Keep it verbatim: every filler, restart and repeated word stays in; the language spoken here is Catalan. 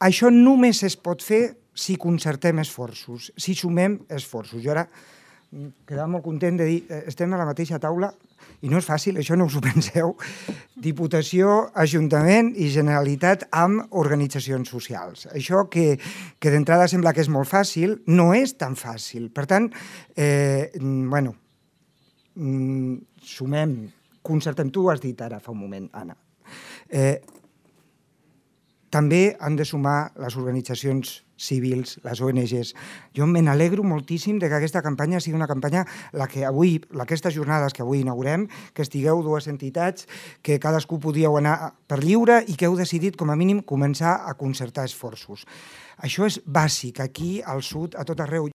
això només es pot fer si concertem esforços, si sumem esforços. Jo ara quedava molt content de dir, estem a la mateixa taula, i no és fàcil, això no us ho penseu, Diputació, Ajuntament i Generalitat amb organitzacions socials. Això que, que d'entrada sembla que és molt fàcil, no és tan fàcil. Per tant, eh, bueno, sumem, concertem, tu ho has dit ara fa un moment, Anna. Eh, també han de sumar les organitzacions civils, les O N Ges. Jo me n'alegro moltíssim que aquesta campanya sigui una campanya, la que avui, aquestes jornades que avui inaugurem, que estigueu dues entitats, que cadascú podíeu anar per lliure i que heu decidit, com a mínim, començar a concertar esforços. Això és bàsic, aquí, al sud, a tot arreu.